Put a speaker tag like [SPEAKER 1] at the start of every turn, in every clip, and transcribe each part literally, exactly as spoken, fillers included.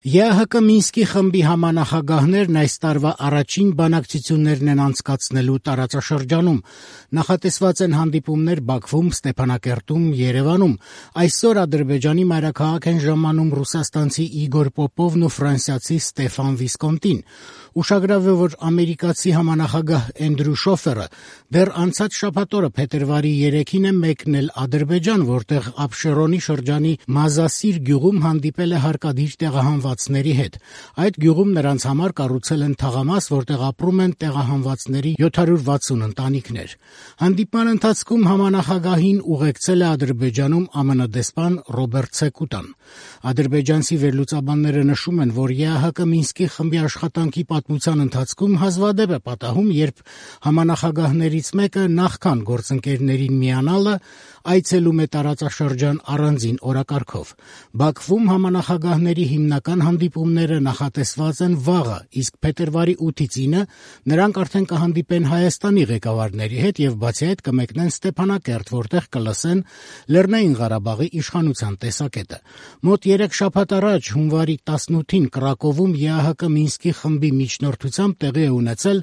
[SPEAKER 1] ԵԱՀԿ Մինսկի խմբի համանախագահներն այս տարվա առաջին բանակցություններն են անցկացնելու տարածաշրջանում։ Նախատեսված են հանդիպումներ Բաքվում, Ստեփանակերտում, Երևանում։ Այսօր Ադրբեջանի մայրաքաղաք են ժամանում ռուսաստանցի Իգոր Պոպովն ու ֆրանսիացի Ստեֆան Վիսկոնտին։ Ուշագրավ է, որ ամերիկացի համանախագահ Էնդրյու Շոֆերը դեռ անցած շաբաթ օրը փետրվարի երեքին է մեկնել Ադրբեջան, որտեղ Աբշերոնի շրջանի Մազասիր գյուղում հանդիպել է հարկադիր տեղահանվածների հետ։ Այդ գյուղում նրանց համար կառուցել են թաղամաս, որտեղ ապրում են տեղահանվածների յոթ հարյուր վաթսուն ընտանիքներ։ Հանդիպման ընթացքում համանախագահին ուղեկցել է Ադրբեջանում ԱՄՆ դեսպան Ռոբերտ Ցեկուտան։ Ադրբեջանցի վերլուծաբանները նշում են, որ ԵԱՀԿ Մինսկի խմբի աշխատանքի պատմության ընթացքում հազվադեպ է պատահում, երբ համանախագահներից մեկը նախքան գործընկերներին միանալը այցելում է տարածաշրջան առանձին օրակարգով։ Բաքվում համանախագահների հիմնական հանդիպումները նախատեսված են վաղը, իսկ փետրվարի ութից ինը նրանք արդեն կհանդիպեն Հայաստանի ղեկավարների հետ եւ բացի այդ կմեկնեն Ստեփանակերտ, որտեղ կլսեն Լեռնային Ղարաբաղի իշխանության տեսակետը։ Մոտ երեք շաբաթ առաջ հունվարի տասնութին Կրակովում ԵԱՀԿ Մինսկի խմբի միջնորդությամբ տեղի է ունեցել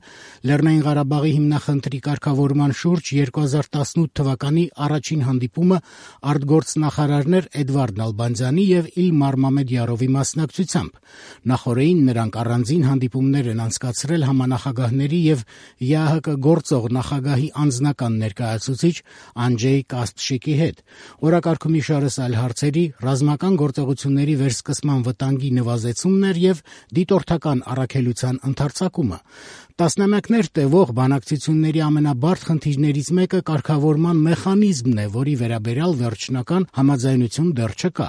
[SPEAKER 1] Լեռնային Ղարաբաղի հիմնախնդրի կարգավորման շուրջ երկու հազար տասնութ թվականի առաջին հանդիպումը արտգործնախարարներ Էդվարդ Նալբանդյանի եւ Իլմար Մամեդյարովի մասնակցությամբ։ Նախօրեին նրանք առանձին հանդիպումներ են անցկացրել համանախագահների եւ ԵԱՀԿ գործող նախագահի անձնական ներկայացուցիչ Անջեյ Կասպշիկի հետ։ Օրակարգում իշարս այլ հարցերի, ռազմական գործողությունների վերսկսման վտանգի նվազեցումն էր եւ դիտորդական առաքելության ընդարձակումը։ Տասնամյակներ տևող բանակցությունների ամենաբարդ խնդիրներից մեկը կարգավորման մեխանիզմն է, որի վերաբերյալ վերջնական համաձայնություն դեռ չկա։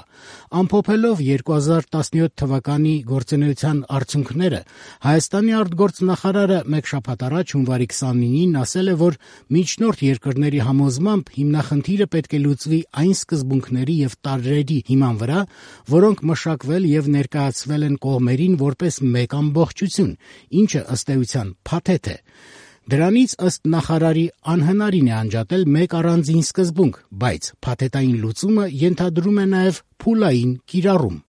[SPEAKER 1] Ամփոփելով երկու հազար տասնյոթ թվականի գործունեության արդյունքները, Հայաստանի արտգործնախարարը մեկ շաբաթ առաջ հունվարի քսանինին ասել է, որ միջնորդ երկրների համոզմամբ հիմնախնդիրը պետք է լուծվի այն սկզբունքների եւ տարրերի հիման վրա, որոնք մշակվել եւ ներկայացվել են կողմերին որպես մեկ ամբողջություն, ինչը ըստ էության փաթեթ է։ Դրանից ըստ նախարարի անհնարին է անջատել մեկ առանձին սկզբունք, բայց փաթեթային լուծումը ենթադրում է նաեւ փուլային կիրառում։